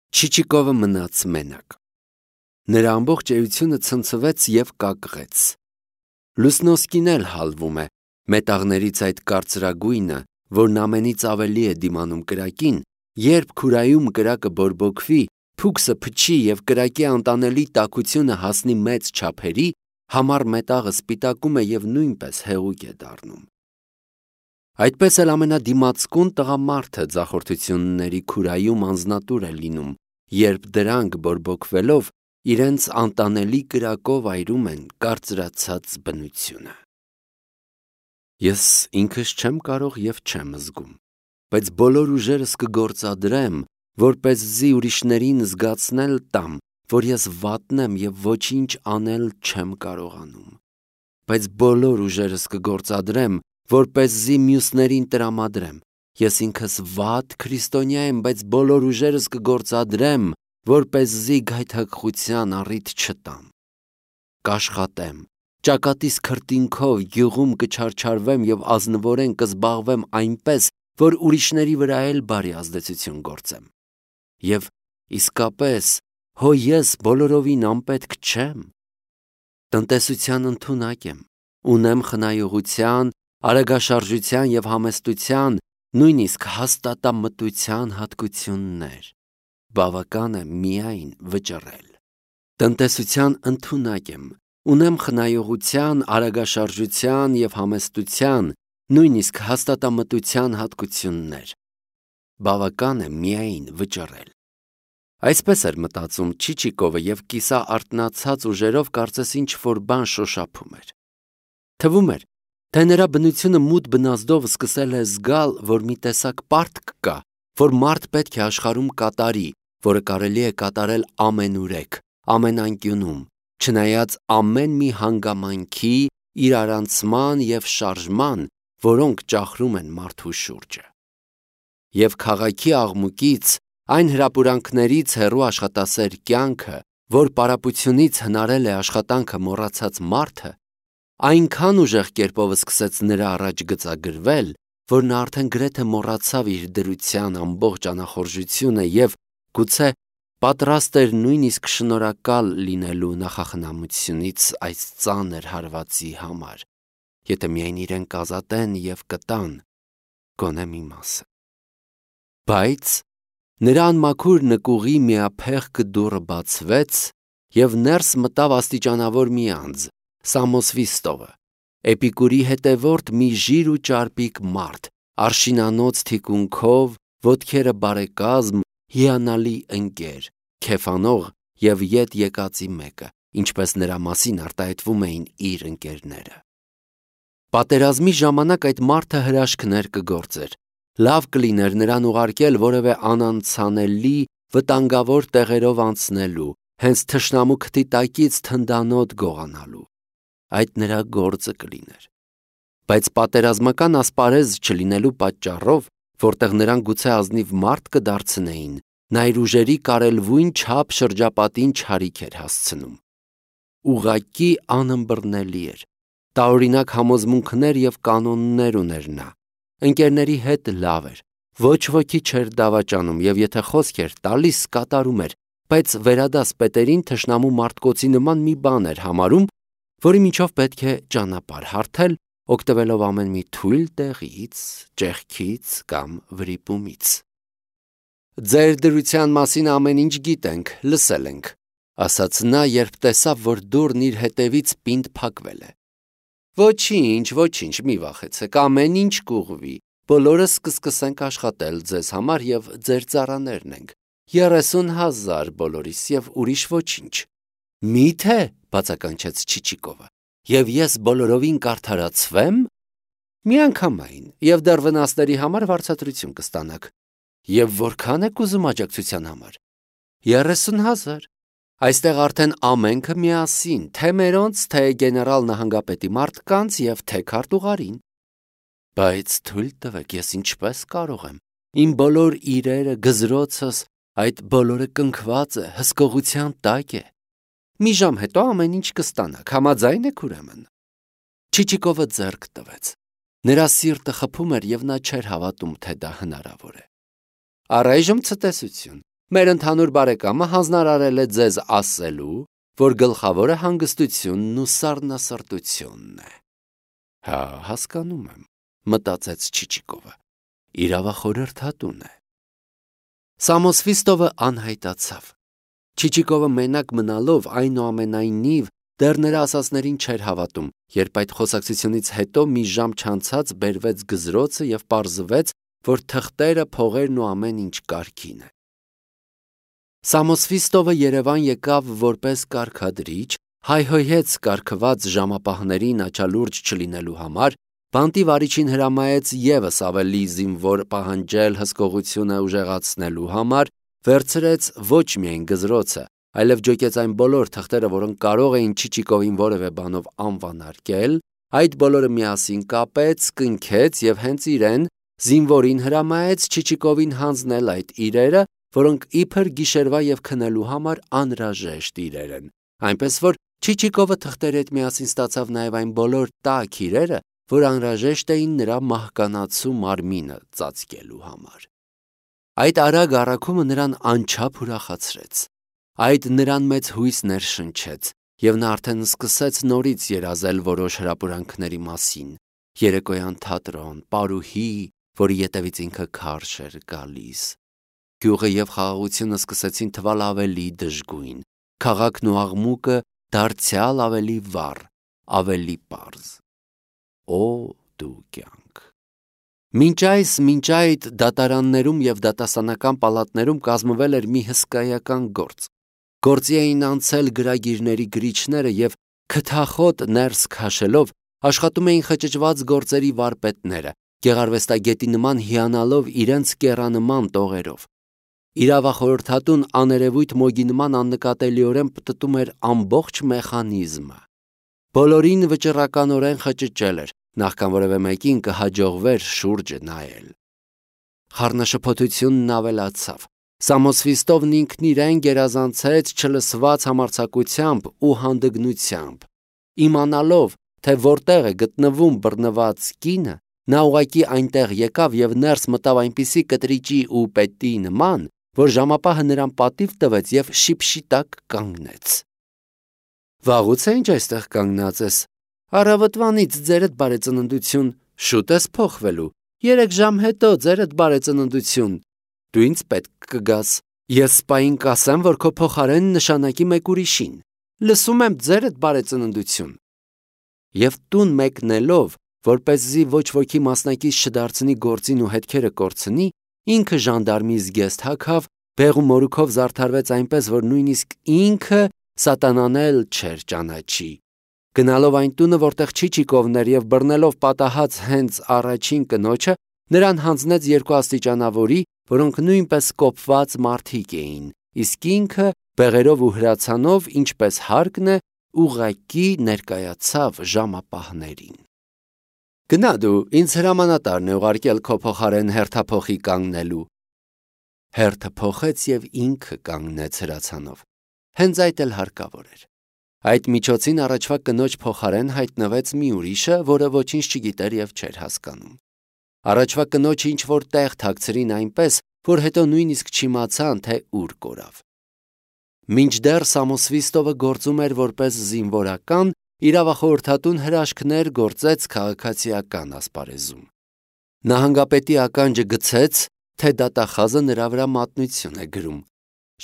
Չիչիկովը մնաց մենակ։ Նրա ամբողջ էությունը ցնցվեց և կակղեց։ Լուսնոսկին էլ հալվում է, մետաղներից այդ կարծրագույնը, որն ամենից ավելի է դիմանում կրակին, երբ քուրայում կրակը բորբոքվի, փուքսը փչի և կրակի անտանելի տաքությունը հասնի մեծ չափերի, համառ մետաղը սպիտակում է և նույնպես հեղուկ է դառնում։ Այդպես էլ ամենադիմացկուն տղամարդը ձախորդությունների քուրայում անձնատուր է լինում, երբ դրանք բորբոքվելով իրենց անտանելի կրակով այրում են կարծրացած բնությունը։ Ես ինքս չեմ կարող և չեմ զգում, բայց բոլոր ուժերս կգործադրեմ, որպեսզի ուրիշներին զգացնել տամ, որ ես վատն եմ և ոչինչ անել չեմ կարողանում, բայց բոլոր ուժերս կգործադրեմ, որպեսզի մյուսներին տրամադրեմ։ Ես ինքս վատ քրիստոնյա եմ, բայց բոլոր ուժերս կգործադրեմ, որպեսզի գայթակղության առիթ չտամ։ Կաշխատեմ, ճակատիս քրտինքով գյուղում կչարչարվեմ և ազնվորեն կզբաղվեմ այնպես, որ ուրիշների վրա էլ բարի ազդեցություն գործեմ։ Եվ իսկապես, հո ես բոլորովին անպետք չեմ։ Տնտեսության ընդունակ եմ, ունեմ խնայողության, արագաշարժության և համեստության, նույնիսկ հաստատամտության հատկություններ։ Բավական է միայն վճռել։ Տնտեսության ընդունակ եմ, ունեմ խնայողության, արագաշարժության և համեստության, նույնիսկ հաստատամտության հատկություններ։ Բավական է միայն վճռել։ Այսպես էր մտածում Չիչիկովը և կիսա արթնացած ուժերով կարծես ինչ-որ բան շոշափում էր։ Թվում էր, թե նրա բնությունը մութ բնազդով սկսել է զգալ, որ մի տեսակ պարտք կա, որ մարդ պետք է աշխարհում կատարի, որը կարելի է կատարել ամենուրեք, ամեն անկյունում, չնայած ամեն մի հանգամանքի, իրարանցման և շարժման, որոնք ճախրում են մարդու շուրջը։ Եվ քաղաքի աղմուկից, այն հրապուրանքներից հեռու աշխատասեր կյանքը, որ պարապությունից հնարել է աշխատանքը մոռացած մարդը, այնքան ուժեղ կերպով սկսեց նրա առաջ գծագրվել, որ նա արդեն գրեթե մոռացավ իր դրության ամբողջ անախորժությունը և գուցե պատրաստ էր նույնիսկ շնորհակալ լինելու նախախնամությունից այս ծանր հարվածի համար, եթե միայն իրեն կազատեն և կտան գոնե մի մասը։ Բայց նրա անմաքուր նկուղի միափեղկ դուռը բացվեց, և ներս մտավ աստիճանավոր մի անձ, Սամոսվիստովը, Էպիկուրի հետևորդ մի ժիր ու ճարպիկ մարդ, արշինանոց թիկունքով, ոտքերը բարեկազմ, հիանալի ընկեր, քեֆանող և ետ եկածի մեկը, ինչպես նրա մասին արտահայտվում էին իր ընկերները։ Պատերազմի ժամանակ այդ մարդը հրաշքներ կգործեր։ Լավ կլիներ նրան ուղարկել որևէ անանցանելի, վտանգավոր տեղերով անցնելու, հենց թշնամու քթի տակից թնդանոթ գողանալու։ Այդ նրա գործը կլիներ։ Բայց պատերազմական ասպարեզ չլինելու պատճառով, որտեղ նրան գուցե ազնիվ մարդ կդարձնեին, նա իր ուժերի կարելվույն չափ շրջապատին չարիք էր հասցնում։ Ուղղակի անըմբռնելի էր։ Տարօրինակ համոզմունքներ և կանոններ ուներ նա։ Ընկերների հետ լավ էր։ Ոչ ոքի չէր դավաճանում և եթե խոսք էր տալիս, կատարում էր, բայց վերադաս պետերին թշնամու մարտկոցի նման մի բան էր համարում, որի միջով պետք է ճանապարհ հարթել, օգտվելով ամեն մի թույլ տեղից, ճեղքից կամ վրիպումից։ «Ձեր դրության մասին ամեն ինչ գիտենք, լսել ենք», ասաց նա, երբ տեսավ, որ դուռն իր հետևից պինդ փակվել է։ Ոչինչ, մի վախեցեք, ամեն ինչ կուղղվի, բոլորս կսկսենք աշխատել ձեզ համար և ձեր ծառաներն ենք, 30,000 բոլորիս և ուրիշ ոչինչ։ Մի՞թե, բացականչեց Չիչիկովը, և ես բոլորովին կարդարացվեմ։ Միանգամայն, և դեռ վնասների համար վարձատրություն կստանաք։ Եվ որքան եք ուզում աջակցության համար։ 30,000։ Այստեղ արդեն ամենքը միասին, թե մերոնց, թե գեներալ նահանգապետի մարդկանց և թե քարտուղարին։ Բայց թույլ տվեք, ես ինչպես կարող եմ։ Իմ բոլոր իրերը, գզրոցս, այդ բոլորը կնքված է, հսկողության տակ է։ Մի ժամ հետո ամեն ինչ կստանաք, համաձայն եք ուրեմն։ Չիչիկովը ձեռք տվեց։ Նրա սիրտը խփում էր և նա չէր հավատում, թե դա հնարավոր է։ Առայժմ ցտեսություն, Մեր ընդհանուր բարեկամը հանձնարարել է ձեզ ասելու, որ գլխավորը հանգստությունն ու սառնասրտությունն է։ Հա, հասկանում եմ, մտածեց Չիչիկովը։ Իրավախորհրդատուն է։ Սամոսվիստովը անհայտացավ։ Չիչիկովը մենակ մնալով այնուամենայնիվ դեռ նրա ասածներին չէր հավատում, երբ այդ խոսակցությունից հետո մի ժամ չանցած բերվեց գզրոցը և պարզվեց, որ թղթերը, փողերն ու ամեն ինչ կարգին է։ Սամոսվիստովը Երևան եկավ որպես կարգադրիչ, հայհոյեց կարգված ժամապահներին աչալուրջ չլինելու համար, բանտի վարիչին հրամայեց ևս ավելի զինվոր պահանջել հսկողությունը ուժեղացնելու համար, վերցրեց ոչ միայն գզրոցը, այլև ջոկեց այն բոլոր թղթերը, որոնք կարող էին Չիչիկովին որևէ բանով անվանարկել, այդ բոլորը միասին կապեց, կնքեց և հենց իրեն, զինվորին հրամայեց Չիչիկովին հանձնել այդ իրերը, որոնք իբր գիշերվա և քնելու համար անհրաժեշտ իրեր են, այնպես որ Չիչիկովը թղթերի հետ միասին ստացավ նաև այն բոլոր տաք իրերը, որ անհրաժեշտ էին նրա մահկանացու մարմինը ծածկելու համար։ Այդ արագ առաքումը նրան անչափ ուրախացրեց։ Այդ նրան մեծ հույս ներշնչեց, և նա արդեն սկսեց նորից երազել որոշ հրապուրանքների մասին, երեկոյան թատրոն, պարուհի, որի ետևից ինքը քարշ էր գալիս։ Գյուղը և խաղաղությունը սկսեցին թվալ ավելի դժգույն, քաղաքն ու աղմուկը դարձյալ ավելի վառ, ավելի պարզ։ Օ դու կյանք։ Մինչ այդ դատարաններում և դատասանական պալատներում կազմվել էր մի հսկայական գործ։ Գործի էին անցել գրագիրների գրիչները և քթախոտ ներս քաշելով աշխատում էին խճճված գործերի վարպետները, գեղարվեստագետի նման հիանալով իրենց կեռանման տողերով։ Իրավախորհրդատուն աներևույթ մոգի նման աննկատելիորեն պտտում էր ամբողջ մեխանիզմը։ Բոլորին վճռականորեն խճճել էր, նախքան որևէ մեկին կհաջողվեր շուրջը նայել։ Խառնաշփոթությունն ավելացավ։ Սամոսվիստովն ինքն իրեն գերազանցեց չլսված համարձակությամբ ու հանդգնությամբ։ Իմանալով, թե որտեղ է գտնվում բռնված կինը, նա ուղղակի այնտեղ եկավ և ներս մտավ այնպիսի կտրիճի ու պետի նման, որ ժամապահը նրան պատիվ տվեց և շիպշիտակ կանգնեց։ Վաղուց է ինչ այստեղ կանգնած ես։ Առավոտվանից ձերդ բարեծննդություն, շուտ ես փոխվելու, 3 ժամ հետո ձերդ բարեծննդություն, դու ինձ պետք կգաս, ես սպային կասեմ, որ քո փոխարեն նշանակի մեկ ուրիշին, լսում եմ ձերդ բարեծննդություն։ Եվ տուն մեկնելով, որպեսզի ոչ ոքի մասնակից չդարձնի գործին ու հետքերը կորցնի, ինքը ժանդարմի զգեստ հագավ, բեղ ու մորուքով զարդարվեց այնպես, որ նույնիսկ ինքը սատանան էլ չէր ճանաչի։ Գնալով այն տունը, որտեղ Չիչիկովն էր և բռնելով պատահած հենց առաջին կնոջը, նրան հանձնեց 2 աստիճանավորի, որոնք նույնպես կոպված մարդիկ էին, իսկ ինքը բեղերով ու հրացանով, ինչպես հարկն է, ուղղակի ներկայացավ ժամապահներին։ Գնա դու, ինձ հրամանատարն է ուղարկել քո փոխարեն հերթափոխի կանգնելու։ Հերթը փոխեց և ինքը կանգնեց հրացանով։ Հենց այդ էլ հարկավոր էր։ Այդ միջոցին առաջվա կնոջ փոխարեն հայտնվեց մի ուրիշը, որը ոչինչ չգիտեր և չէր հասկանում։ Առաջվա կնոջը ինչ-որ տեղ թաքցրին այնպես, որ հետո նույնիսկ չիմացան, թե ուր կորավ։ Մինչդեռ Սամոսվիստովը գործում էր որպես զինվորական, իրավախորհրդատուն հրաշքներ գործեց քաղաքացիական ասպարեզում։ Նահանգապետի ականջը գցեց, թե դատախազը նրա վրա մատնություն է գրում։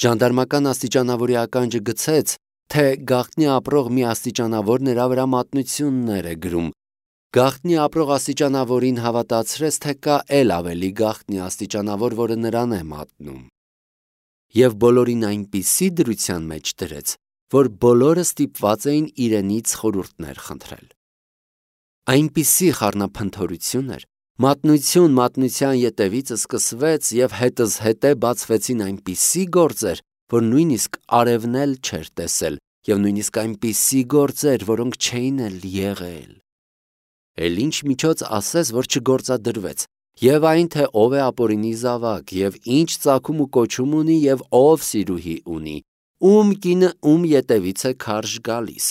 Ժանդարմական աստիճանավորի ականջը գցեց, թե գաղտնի ապրող մի աստիճանավոր նրա վրա մատնություններ է գրում։ Գաղտնի ապրող աստիճանավորին հավատացրեց, թե կա էլ ավելի գաղտնի աստիճանավոր, որը նրան է մատնում։ Եվ բոլորին այնպիսի դրության մեջ դրեց, որ բոլորը ստիպված էին իրենից խորհուրդներ խնդրել։ Այնպիսի խառնափնթորություն էր, մատնություն մատնության ետևից սկսվեց և հետզհետե բացվեցին այնպիսի գործեր, որ նույնիսկ արևն էլ չէր տեսել, և նույնիսկ այնպիսի գործեր, որոնք չէին էլ եղել։ Էլ ինչ միջոց ասես, որ չգործադրվեց, և այն, թե ով է ապօրինի զավակ, և ինչ ծագում ու կոչում ունի, և ով սիրուհի ունի, ում կինը ում ետևից է քարշ գալիս։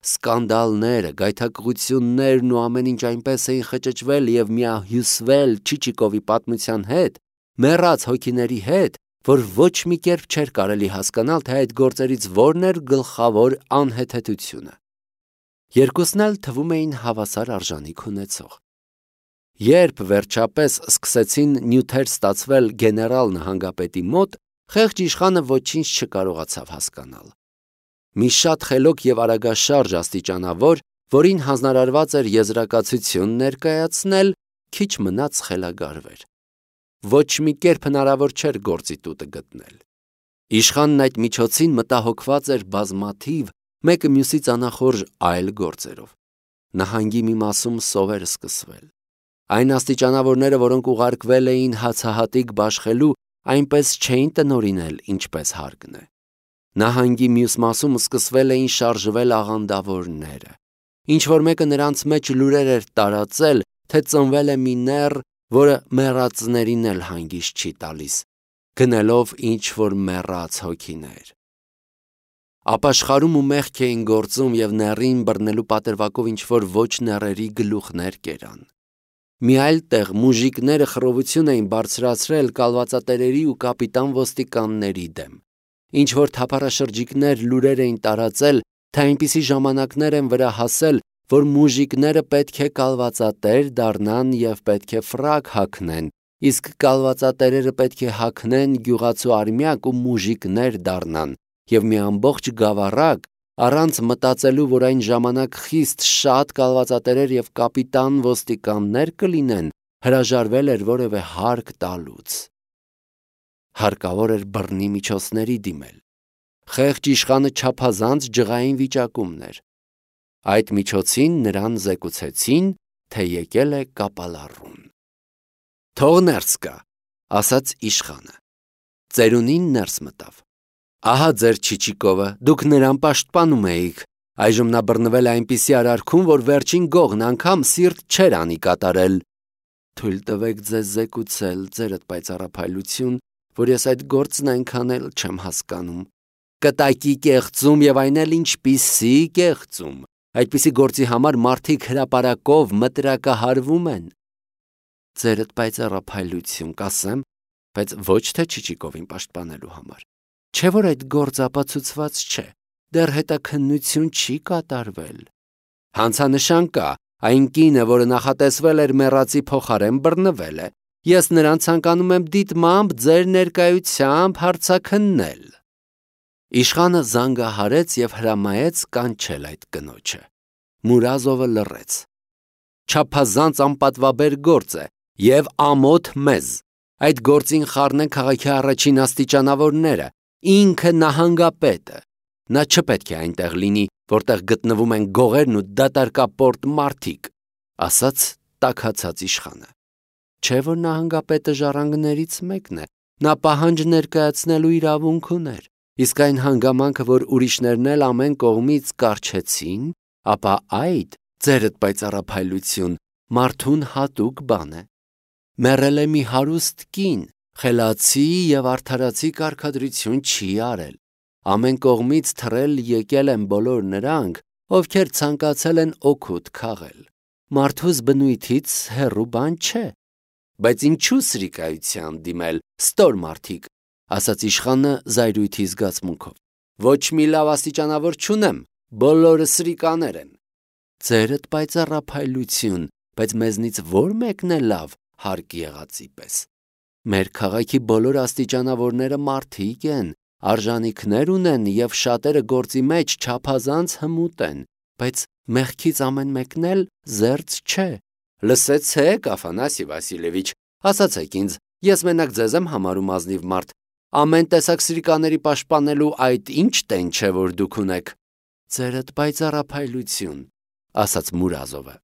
Սկանդալները, գայթակղություններն ու ամեն ինչ այնպես էին խճճվել և միահյուսվել Չիչիկովի պատմության հետ, մեռած հոգիների հետ, որ ոչ մի կերպ չէր կարելի հասկանալ, թե այդ գործերից որն էր գլխավոր անհեթեթությունը։ Երկուսն էլ թվում էին հավասար արժանիք ունեցող։ Երբ վերջապես սկսեցին նյութեր ստացվել գեներալ նահանգապետի մոտ, խեղճ իշխանը ոչինչ չկարողացավ հասկանալ։ Մի շատ խելոք եւ արագաշարժ աստիճանավոր, որին հանձնարարված էր եզրակացություն ներկայացնել, քիչ մնաց խելագարվեր։ Ոչ մի կերպ հնարավոր չէր գործի տուտը գտնել։ Իշխանն այդ միջոցին մտահոգված էր բազմաթիվ, մեկը մյուսից անախորժ այլ գործերով։ Նահանգի մի մասում սովեր սկսվել։ Այն աստիճանավորները, որոնք ուղարկվել էին հացահատիկ բաշխելու, այնպես չէին տնօրինել, ինչպես հարկն է։ Նահանգի մյուս մասում սկսվել էին շարժվել աղանդավորները։ Ինչ-որ մեկը նրանց մեջ լուրեր էր տարածել, թե ծնվել է մի նեռ, որը մեռածներին էլ հանգիստ չի տալիս, գնելով ինչ-որ մեռած հոգիներ։ Ապաշխարում ու մեղք էին գործում և նեռին բռնելու պատրվակով ինչ-որ ոչ նեռերի գլուխներ կերան։ Մի այլ տեղ մուժիկները խռովություն էին բարձրացրել կալվածատերերի ու կապիտան ոստիկանների դեմ։ Ինչ-որ թափառաշրջիկներ լուրեր էին տարածել, թե այնպիսի ժամանակներ են վրա հասել, որ մուժիկները պետք է կալվածատեր դառնան և պետք է ֆրակ հագնեն, իսկ կալվածատերերը պետք է հագնեն գյուղացու արմյակ ու մուժիկներ դառնան, և մի ամբողջ գավառակ, առանց մտածելու, որ այն ժամանակ խիստ շատ կալվածատերեր և կապիտան ոստիկաններ կլինեն, հրաժարվել էր որևէ հարկ տալուց։ Հարկավոր էր բռնի միջոցների դիմել։ Խեղճ իշխանը չափազանց ջղային վիճակումն էր։ Այդ միջոցին նրան զեկուցեցին, թե եկել է կապալառուն։ «Թող ներս գա», ասաց իշխանը։ Ծերունին ներս մտավ։ «Ահա ձեր Չիչիկովը, դուք նրան պաշտպանում էիք, այժմ նա բռնվել է այնպիսի արարքում, որ վերջին գողն անգամ սիրտ չէր անի կատարել»։ «Թույլ տվեք ձեզ զեկուցել, ձերդ պայծառափայլություն, որ ես այդ գործն այնքան էլ չեմ հասկանում»։ «Կտակի կեղծում և այն էլ ինչպիսի կեղծում, այդպիսի գործի համար մարդիկ հրապարակով մտրակահարվում են»։ «Ձերդ պայծառափայլություն, կասեմ, բայց ոչ թե Չիչիկովին պաշտպանելու համար։ Չէ՞ որ այդ գործ ապացուցված չէ, դեռ հետաքննություն չի կատարվել»։ «Հանցանշան կա, այն կինը, որը նախատեսվել էր մեռածի փոխարեն, բռնվել է։ Ես նրան ցանկանում եմ դիտմամբ ձեր ներկայությամբ հարցաքննել»։ Իշխանը զանգահարեց և հրամայեց կանչել այդ կնոջը։ Մուրազովը լռեց։ «Չափազանց անպատվաբեր գործ է և ամոթ մեզ։ Այդ գործին խառնեն քաղաքի առաջին աստիճանավորները, ինքը նահանգապետը։ Նա չպետք է այնտեղ լինի, որտեղ գտնվում են գողերն ու դատարկապորտ մարդիկ», ասաց տաքացած իշխանը։ Չէ՞ որ նահանգապետը ժառանգներից մեկն է, նա պահանջ ներկայացնելու իրավունք ուներ, իսկ այն հանգամանքը, որ ուրիշներն էլ ամեն կողմից կառչեցին, ապա այդ, ձերդ պայծառափայլություն, մարդուն հատուկ բան է։ Մեռել է մի հարուստ կին, խելացի և արդարացի կարգադրություն չի արել։ Ամեն կողմից թռել եկել են բոլոր նրանք, ովքեր ցանկացել են օգուտ քաղել։ Մարդուս բնույթից հեռու բան չէ։ Բայց ինչու սրիկայության դիմել, ստոր մարդիկ, ասաց իշխանը զայրույթի զգացմունքով։ Ոչ մի լավ աստիճանավոր չունեմ, բոլորը սրիկաներ են։ Ձերդ պայծառափայլություն, բայց մեզնից ո՞ր մեկն է լավ, հարկ եղածի պես։ Մեր քաղաքի բոլոր աստիճանավորները մարդիկ են, արժանիքներ ունեն և շատերը գործի մեջ չափազանց հմուտ են, բայց մեղքից ամեն մեկն էլ զերծ չէ։ Լսեցեք, Աֆանասի Վասիլևիչ, ասացեք ինձ, ես մենակ ձեզ եմ համարում ազնիվ մարդ, ամեն տեսակ սրիկաների պաշտպանելու այդ ինչ տեն չէ, որ դուք ունեք։ Ձերդ պայծառափայլություն, ասաց Մուրազովը։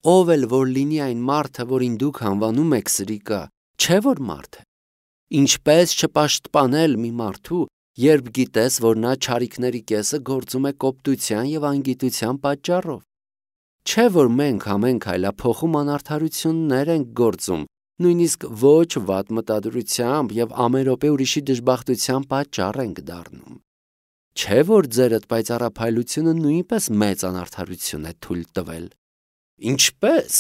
Ով էլ որ լինի այն մարդը, որին դուք անվանում եք սրիկա, չէ որ մարդ է։ Ինչպես չպաշտպանել մի մարդու, երբ գիտես, որ նա չարիքների կեսը գործում է կոպտության և անգիտության պատճառով։ Չէ որ մենք ամեն քայլափոխում անարդարություններ ենք գործում, նույնիսկ ոչ վատ մտադրությամբ և ամեն րոպե ուրիշի դժբախտության պատճառ ենք դառնում։ Չէ որ ձերդ պայծառափայլությունը նույնպես մեծ անարդարություն է թույլ տվել։ Ինչպե՞ս,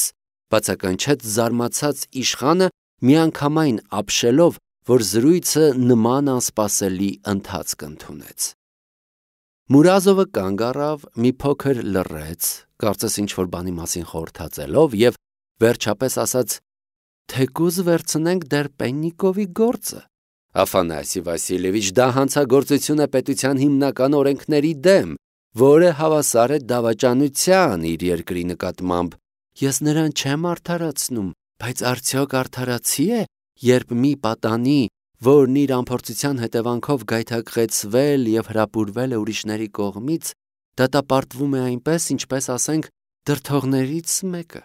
բացականչեց զարմացած իշխանը, միանգամայն ապշելով, որ զրույցը նման անսպասելի ընթացք ընդունեց։ Մուրազովը կանգ առավ, մի փոքր լռեց, կարծես ինչ-որ բանի մասին խորհրդածելով և վերջապես ասաց. «Թեկուզ վերցնենք դեռ Պեննիկովի գործը։ Աֆանասի Վասիլևիչ, դա հանցագործություն է պետության հիմնական օրենքների դեմ, որը հավասար է դավաճանության իր երկրի նկատմամբ։ Ես նրան չեմ արդարացնում, բայց արդյոք արդարացի է, երբ մի պատանի, որն իր անփորձության հետևանքով գայթակղեցվել և հրապուրվել է ուրիշների կողմից, դատապարտվում է այնպես, ինչպես ասենք դրդողներից մեկը։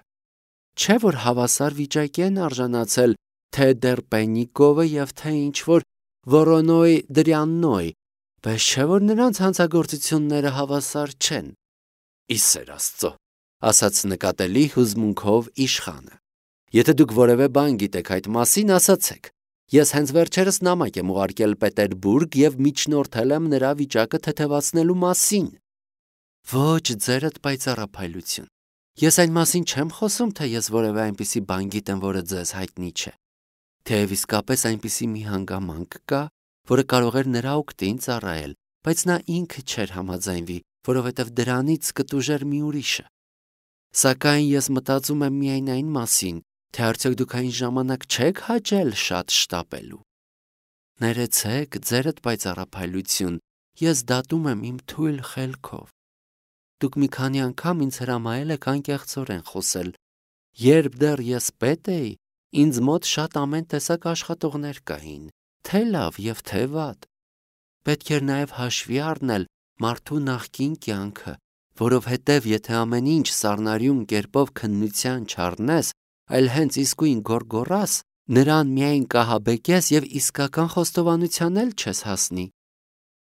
Չէ՞ որ հավասար վիճակի են արժանացել թե դեռ Պեննիկովը և թե ինչ-որ Վորոնոյ Դրյաննոյ, բայց չէ՞ որ նրանց հանցագործությունները հավասար չեն»։ «Ի սեր Աստծո», ասաց նկատելի հուզմունքով իշխանը, «եթե դուք որևէ բան գիտեք այդ մասին, ասացեք։ Ես հենց վերջերս նամակ եմ ուղարկել Պետերբուրգ և միջնորդել եմ նրա վիճակը թեթևացնելու մասին»։ «Ոչ, ձերդ պայծառափայլություն։ Ես այն մասին չեմ խոսում, թե ես որևէ այնպիսի բան գիտեմ, որը ձեզ հայտնի չէ։ Թեև իսկապես այնպիսի մի հանգամանք կա, որը կարող էր նրա օգտին ծառայել, բայց նա ինքը չէր համաձայնվի, որովհետև դրանից կտուժեր մի ուրիշը։ Սակայն ես մտածում եմ միայն այն մասին, թե արդյոք դուք այն ժամանակ չեք հաճել շատ շտապելու։ Ներեցեք, ձերդ պայծառափայլություն, ես դատում եմ իմ թույլ խելքով։ Դուք մի քանի անգամ ինձ հրամայել եք անկեղծորեն խոսել։ Երբ դեռ ես պետ էի, ինձ մոտ շատ ամեն տեսակ աշխատողներ կային, թե լավ և թե վատ։ Պետք էր նաև հաշվի առնել մարդու նախկին կյանքը, որովհետև եթե ամեն ինչ սառնարյուն կերպով քննության չառնես, այլ հենց իսկույն գոռգոռաս, նրան միայն կահաբեկես և իսկական խոստովանության էլ չես հասնի։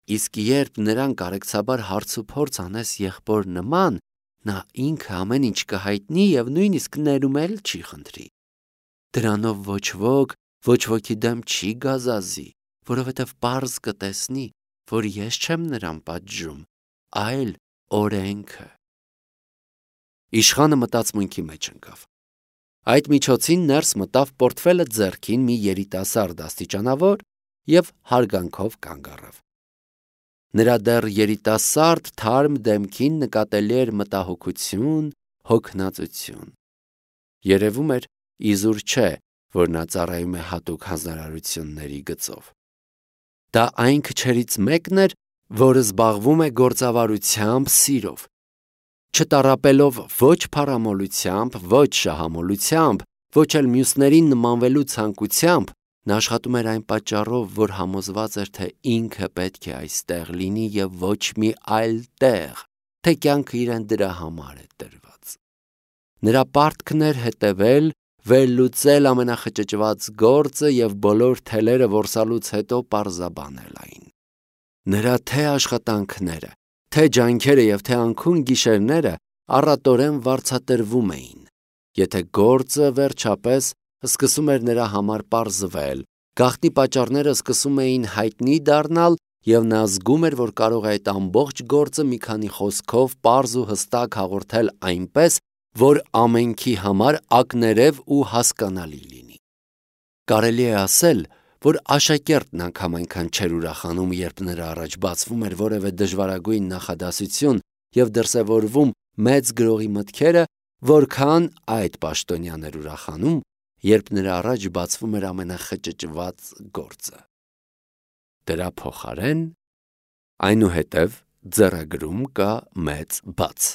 Իսկ երբ նրան կարեկցաբար հարց ու փորձ անես եղբոր նման, նա ինքը ամեն ինչ կհայտնի և նույնիսկ ներում էլ չի խնդրի։ Դրանով ոչ ոքի դեմ չի գազազի, որովհետև պարզ կտեսնի, որ ես չեմ նրան պատժում, այլ օրենքը։ Իշխանը մտածմունքի մեջ ընկավ։ Այդ միջոցին ներս մտավ պորտֆելը ձեռքին մի երիտասարդ աստիճանավոր և հարգանքով կանգ առավ։ Նրա դեռ երիտասարդ թարմ դեմքին նկատելի էր մտահոգություն, հոգնածություն։ Երևում էր, իզուր չէ, որ նա ծառայում է հատուկ հանձնարարությունների գծով։ Դա այն քչերից մեկն էր, որը զբաղվում է գործավարությամբ սիրով։ Չտառապելով ոչ փառամոլությամբ, ոչ շահամոլությամբ, ոչ էլ մյուսներին նմանվելու ցանկությամբ, նա աշխատում էր այն պատճառով, որ համոզված էր, թե ինքը պետք է այստեղ լինի և ոչ մի այլ տեղ, թե կյանքը իրեն դրա համար է տրված։ Նրա պարտքն էր հետևել, վերլուծել ամենախճճված գործը և բոլոր թելերը որսալուց հետո պարզաբանել այն։ Նրա թե աշխատանքները, թե ջանքերը և թե անքուն գիշերները առատորեն վարձատրվում էին։ Եթե գործը վերջապես սկսում էր նրա համար պարզվել, գաղտնի պատճառները սկսում էին հայտնի դառնալ, և նա զգում էր, որ կարող է այդ ամբողջ գործը մի քանի խոսքով պարզ ու հստակ հաղորդել այնպես, որ ամենքի համար ակներև ու հասկանալի լինի։ Կարելի է ասել, որ աշակերտն անգամ այնքան չէր ուրախանում, երբ նրա առաջ բացվում էր որևէ դժվարագույն նախադասություն և դրսևորվում մեծ գրողի մտքերը, որքան այդ պաշտոնյան էր ուրախանում, երբ նրա առաջ բացվում էր ամենախճճված գործը։ Դրա փոխարեն այնուհետև ձեռագրում կա մեծ բաց։